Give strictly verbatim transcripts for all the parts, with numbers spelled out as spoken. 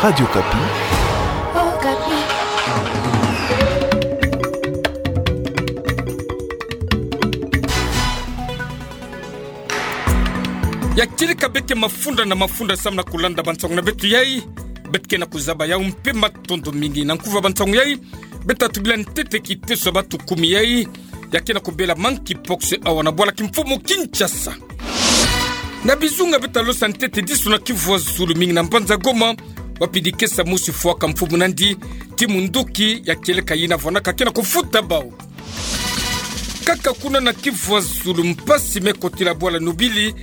Radio Okapi. Ya kieleka beke mafunda na mafunda samu na kulanda bansangu na beto yai. Beto ke na kuzaba yau mpe matondo mingi. Na nkuva bansangu yai, beto tubila ntete kiteso ya batu kumi yai ya ke na kubela monkeypox awa na bwala kimfumu Kinshasa. Na bizunga beto losa ntete diso na Kivu ya Zulu, mingi na mbanza Goma, wapi dikesa mosi fwaka mfumu nandi ti munduki ya kieleka yina vwanaka ke na kufuta bau. Kaka kuna na Kivu ya Zulu, mpasi me kotila bwala Nobili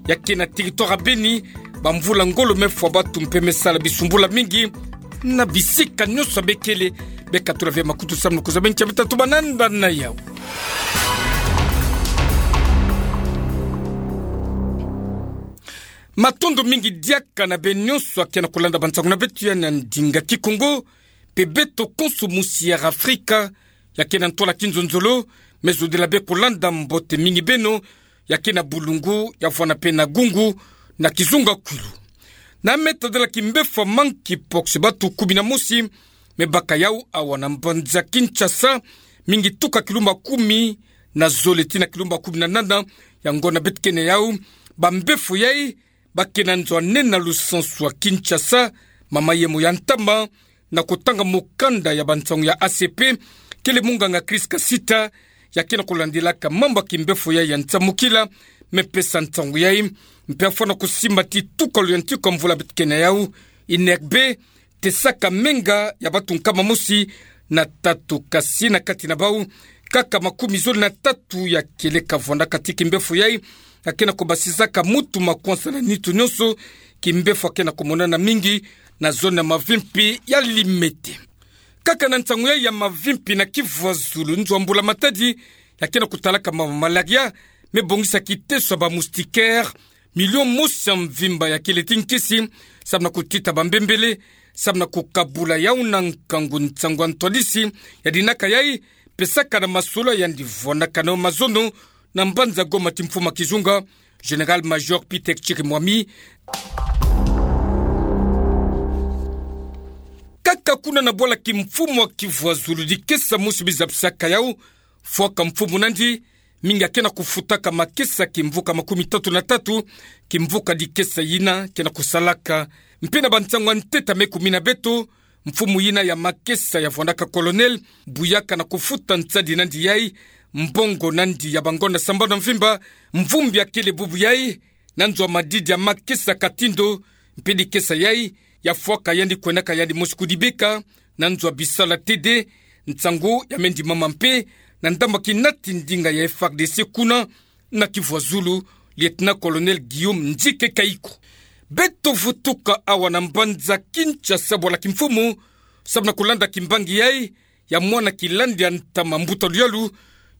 ya ke na territoire ya Beni. Bamvula ngolo me fwa batu mpe me sala bisumbula mingi na bisika nyonso ya bekele. Beka tula ve makutu samu na kuzaba ncha beto tubana nda na yau. Matondo mingi diaka na beno nyonso ya ke na kulanda bansangu na beto yai na ndinga Kikongo, mpe beto konso musi ya Afrika ya ke na ntwala kinzonzolo, me zodila be kulanda, mbote mingi beno ya ke na bulungu, ya vwana mpe na gungu, na kizunga kwilu. Na me tadela kimbevo ya monkeypox, batu kumi na mosi me baka yau awa na mbanza Kinshasa, mingi tuka kilumba kumi na zole tii na kilumba kumi na nana. Yango na beto ke na yau, bambevo yai ba ke na nzo ya nene na lusansu ya Kinshasa, mama yemo ya ntama na kutanga mukanda ya bansangu ya A C P, kele munganga Chris Kasita, ya ke na kulandilaka mambu ya kimbevo yai ya nsamukila, me pesa nsangu yai, mpe afwa na kusimba ti tuka luyantiku ya mvula beto ke na yau, I N R B tesaka menga ya batu nkama mosi na tatu, kasi na kati na bau, kaka makumi zole na tatu ya kieleka vwandaka ti kimbevo yai, ya ke na kubasizaka mutu, makwansa na nitu nyonso. Kimbevo ya ke na kumonana mingi na zone ya Mavimpi ya Limete. Kaka na nsangu yai ya Mavimpi na Kivu ya Zulu, nzo ya mbula matadi ya ke na kutalaka ma malaria me bongisa kiteso ya ba moustiquaire, milion mosi ya mvimba ya kele ti nkisi, samu na kutita bambembele, samu na kukabula yau na nkangu. Nsangu ya ntwadisi ya dinaka yai pesaka na masolo ya yandi vwanaka na mazono na mbanza Goma ti mfumu ya kizunga, Général-major Peter Chirimwami. Kaka kuna na bwala kimfumu ya Kivu ya Zulu, dikesa mosi bizabisaka yau fwaka mfumu nandi, mingi ya ke na kufutaka makesa kimvuka makumi tatu na tatu, kimvuka dikesa yina ke na kusalaka. Mpe na bansangu ya ntete me kumina beto, mfumu yina ya makesa ya vwandaka Colonel, buyaka na kufuta nsadi nandi yai, mbongo nandi ya bangonda sambanu ya mvimba, mvumbi ya kele bubu yai, na nzo ya madidi ya makesa Katindo, mpe dikesa yai ya fwaka yandi, kwenaka yandi mosi kudibeka na nzo ya bisalu ya T D. Nsangu ya me ndimama mpe na ndambu ya kinati ndinga ya F A R D C kuna na Kivu ya Zulu, Lieutenant-colonel Guillaume Nzike Kayiko. Beto vutuka awa na mbanza Kinshasa, bwala kimfumu, samu na kulanda kimbangi yai ya mwana kilandi ya ntama, mbuta luyalu,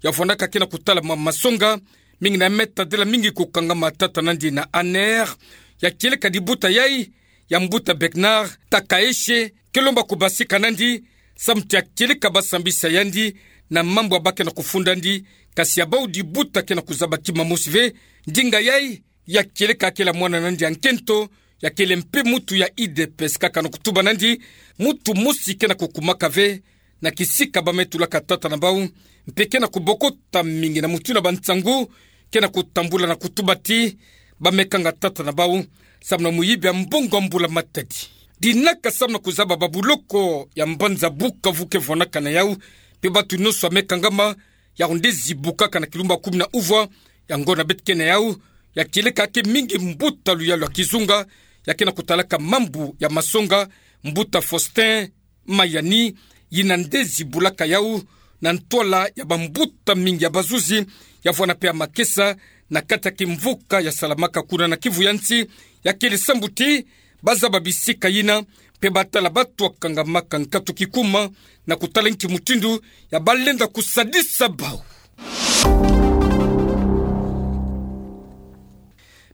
ya vwandaka ke na kutala ma masonga, mingi na me tadila mingi kukangama tata nandi na A N R, ya kieleka dibuta yai ya mbuta Bernard Takaeshe, ke lomba kubasika nandi, samu ti ya kieleka basambisa yandi na mambu ya ba ke na kufundandi, kasi ya bau dibuta ke na kuzaba kima mosi ve. Ndinga yai ya kieleka kele mwana nandi ya nkento, ya kele mpe mutu ya U D P S, kaka na kutuba nandi, mutu mosi ke na kukumaka ve na kisika ba me tulaka tata na bau, mpe ke na kubokota mingi na mutindu ya bansangu ke na kutambula na kutuba ti ba me kanga tata na bau samu na muyibi ya mbongo ya mbula matadi. Dinaka samu na kuzaba babuloko ya mbanza Bukavu ke vwanaka na yau, mpe batu nyonso ya me kangama, yau nde zibukaka na kilumba kumi na uvwa. Yango na beto ke na yau, ya kieleka ke mingi mbuta luyalu ya kizunga, ya ke na kutalaka mambu ya masonga, mbuta Faustin Mayani, yina nde zibulaka yau na ntwala ya bambuta mingi ya bazuzi, ya vwana mpe ya makesa, na kati ya kimvuka ya salamaka kuna na Kivu ya nsi, ya kele sambu ti ba zaba bisika yina, mpe ba tala batu ya kangamaka nkatu kikuma, na kutala nki mutindu ya ba lenda kusadisa bau.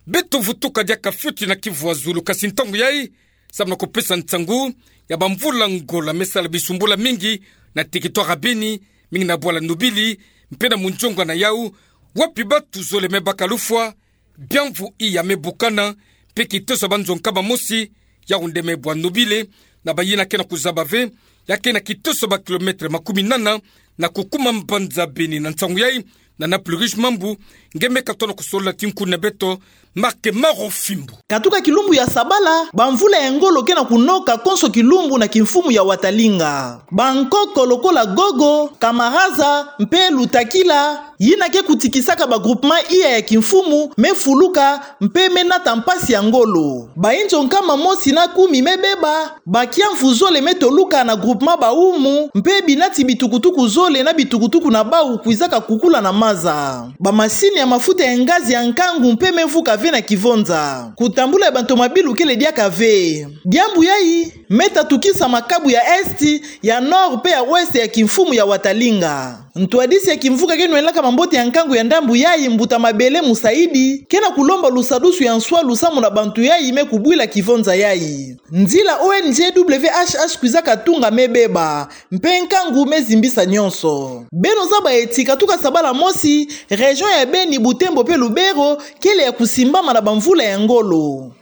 Beto vutuka diaka fioti na Kivu ya Zulu, kasi ntangu yai, samu na kupesa nsangu ya bamvula ngolo me sala bisumbula mingi na territoire ya Beni, mingi na bwala Nobili, mpe na munzonga na yau, wapi batu zole me baka lufwa, biamvu iya me bukana, mpe kiteso ya banzo nkama mosi yau nde me bwa nobile, na bayina ke na kuzaba ve, ya ke na kiteso ba kilomètre makumi nana, na kukuma mbanza Beni na nsangu yai, na Naples Rouge Mambu, nge me katono kusolola ti nkundu na beto, Marc Maro Fimbu. Katuka kilumbu ya sabala, bamvula ya ngolo ke na kunoka konso kilumbu na kimfumu ya Watalinga. Bankoko lokola Gogo, Kamaraza, mpe Lutakila, yina ke kutikisaka ba groupement iya ya kimfumu, me fuluka, mpe me nata mpasi ya ngolo. Bainzo nkama mosi na kumi me beba, ba kiamvu zole me toluka na groupement Baumu, mpe binati bitukutuku zole na bitukutuku na bau kwizaka kukula na maza. Bamasini ya mafuta ya ngazi ya nkangu mpe me vuka ve na kivonza. Kutambula ya bantomabilu kele diaka ve. Diambu yai, me tatukisa makabu ya Est, ya Nord mpe ya Ouest ya kimfumu ya Watalinga. Ntwadisi ya kimvuka ke nwenaka mambote ya nkangu ya ndambu yai, mbuta Mabele Musaidi, ke na kulomba lusadusu ya nswalu samu na bantu yai me kubwila kivonza yai. Nzila O N G W H H kwizaka tunga me beba, mpe nkangu me zimbisa nyonso. Beno zaba eti katuka sabala mosi, région ya Beni, Butembo mpe Lubero, kele ya kusimbama na bamvula ya ngolo.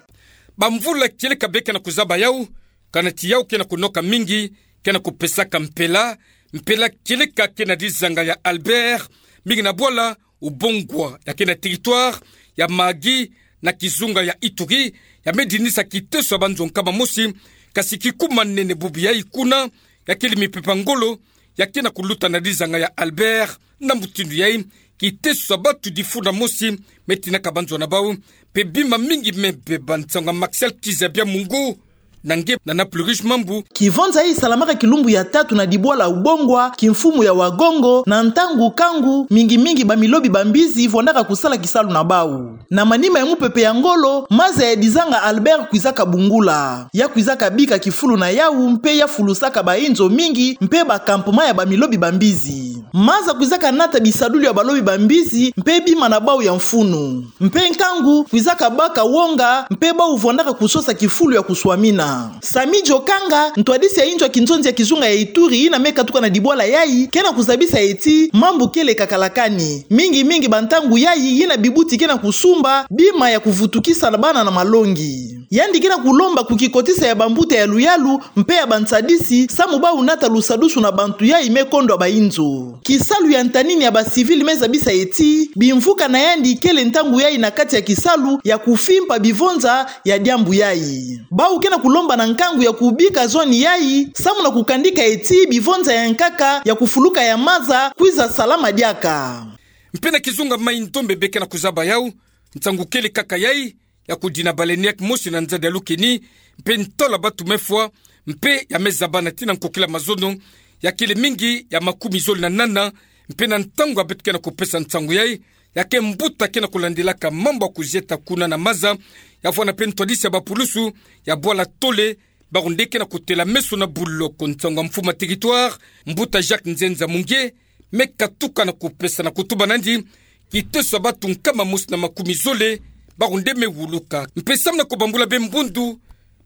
Bamvula kieleka be ke na kuzaba yau, kana ti yau ke na kunoka mingi, ke na kupesaka mpela, mpela kieleka ke na dizanga ya Albert, mingi na bwala Ubongwa, ya ke na territoire ya Mahagi, na kizunga ya Ituri, ya me dinisa kiteso ya banzo nkama mosi, kasi kikuma nene bubu yai kuna, ya kele mipepe ya ngolo, ya ke na kuluta na dizanga ya Albert, na mutindu yai, kiteso ya batu difunda mosi, me tinaka banzo na bau, mpe bima mingi me beba. Nsangu ya Martial Kizabia Mungu, na nge na Naples Rouge Mambu. Kivonza yai salamaka kilumbu ya tatu na dibwala Ubongwa, kimfumu ya Wagongo, na ntangu kangu, mingi mingi bamilobi bambizi vwandaka kusala kisalu na bau. Na manima ya mupepe ya ngolo, maza ya dizanga Albert kwizaka bungula. Ya kwizaka bika kifulu na yau, mpe ya fulusaka bainzo mingi, mpe ba campement ya bamilobi bambizi. Maza kwizaka nata bisadulu ya balobi bambizi, mpe bima na bau ya mfunu. Mpe nkangu kwizaka baka wonga, mpe bau vwandaka kusosa kifulu ya kuswamina. Sami Jokanga, ntwadisi ya inzo ya kinzonzi ya kizunga ya Ituri, yina me katuka na dibwala yai, ke na kuzabisa eti, mambu kele kakalakani. Mingi mingi bantangu yai, yina bibuti ke na kusumba bima ya kuvutukisa na bana na malongi. Yandi ke na kulomba kukikotisa ya bambuta ya luyalu, mpe ya bansadisi, samu bau nata lusadusu na bantu yai me kondwa bainzo. Kisalu ya ntanini ya ba civil me zabisa eti, bimvuka na yandi kele ntangu yai na kati ya kisalu ya kufimpa bivonza ya diambu yai. Bau ke na kulomba na nkangu ya kubika zone yai, samu na kukandika eti bivonza ya nkaka ya kufuluka ya maza kwiza salama diaka. Mpe na kizunga Mai-Ndombe be ke na kuzaba yau, nsangu kele kaka yai, ya kudina baleinière mosi na nzadi ya Lukeni, mpe ntwala batu me fwa, mpe ya me zabana tii na nkokila mazono, ya kele mingi ya makumi zole na nana, mpe na ntangu ya beto ke na kupesa nsangu yai, ya ke mbuta ke na kulandilaka mambu ya kuzieta kuna na maza, ya vwanda mpe ntwadisi ya bapulusu ya bwala Tole, bau nde ke na kutela meso na buloko. Nsangu ya mfumu ya territoire, mbuta Jacques Nzenza Munge, me katuka na kupesa na kutuba nandi, kiteso ya batu nkama mosi na makumi zole, bau nde me wuluka. Mpe samu na kubambula be mbundu,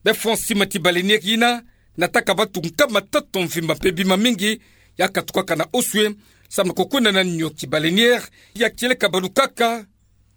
be fwa sima ti baleinière yina, nataka batu nkama tatu mvimba mpe bima mingi, ya katukaka na oswe, samu na kukwenda na nioki. Baleinière ya kieleka balukaka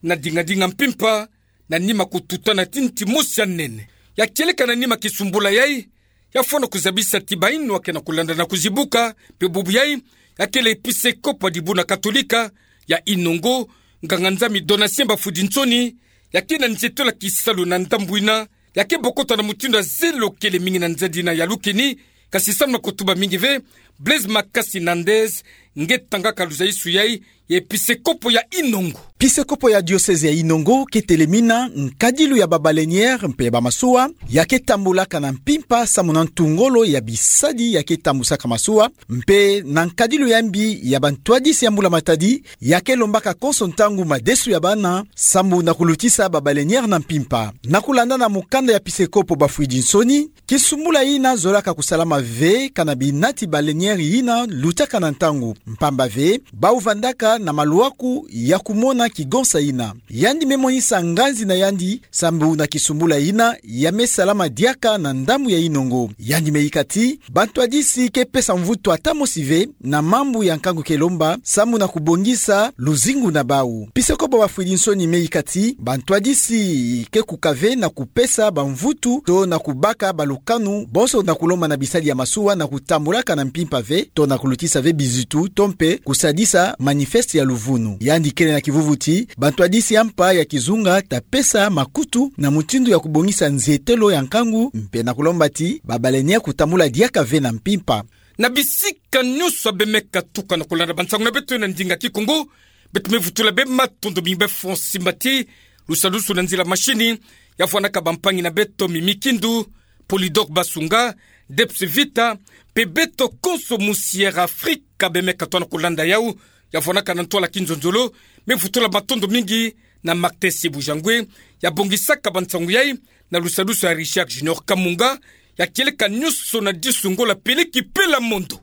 na dingadinga mpimpa, na nima kututana ti nti mosi ya nene. Ya kieleka na nima kisumbula yai, ya fwa na kuzabisa ti bainwa ke na kulanda na kuzibuka, mpe bubu yai, ya kele episekopo ya dibuna katolika ya Inongo, nganga-nzambi Donatien Bafudinsoni, ya ke na nzietolo ya kisalu na ndambu yina, ya ke bokota na mutindu ya zelo kele mingi na nzadi yina ya Lukeni, kasi samu na kutuba mingi ve, Blaise Makasi Nandez, nge tangaka luzaisu yai, ya episekopo ya Inongo. Episekopo ya diocèse ya Inongo ke telemina nkadilu ya ba baleinière mpe ya bamasuwa, ya ke tambulaka na mpimpa samu na ntu ngolo ya bisadi ya ke tambusaka masuwa, mpe na nkadilu ya mbi ya bantwadisi ya mbula matadi, ya ke lombaka konso ntangu madesu ya bana, samu na kulutisa ba baleinière na mpimpa. Na kulanda na mukanda ya episekopo Bafudinsoni, kisumbula yina zolaka kusalama ve kana binati baleinière yina lutaka na ntangu, mpamba ve, bau vandaka na malwaku ya kumona kigonsa ina. Yandi me monisa nganzi na yandi sambu na kisumbula ina ya me salama diaka na ndambu ya inongo. Yandi me yika ti bantwadisi ke pesa mvutu ata mosi ve na mambu ya nkangu ke lomba sambu na kubongisa luzingu na bau. Pisekobwa Bafwidi Nsoni me yika ti bantwadisi ke kuka ve na kupesa bamvutu to na kubaka balukanu bonso na kulomba na bisali ya masuwa na kutambulaka na mpimpa ve to na kulutisa ve bizitu to mpe kusadisa manifeste ya luvunu. Yandi kele na kivuvu ti bantwadisi ya mpa ya kizunga ta pesa makutu na mutindu ya kubongisa nzietelo ya nkangu mpe na kulomba ti babalenia kutambula diaka ve na mpimpa. Na bisika nyonso ya be me katuka na kulanda bansangu na beto na ndinga Kikongo, beto me vutula be matondo mingi be fwa simba ti lusalusu na nzila mashini ya vwanaka bampangi na beto Mimi Kindu, Polydor Basunga, Debs Vita, mpe beto konso mu Sierra Africa be me katwa na kulanda yau, ya vwanaka na ntwala kinzonzolo. Me vutula matondo mingi na Martin Sibujangwe, ya bongisaka bansangu yai, na lusalusu ya Richard Junior Kamunga, ya kieleka nyonso na disu Ngola peleki pela mondo.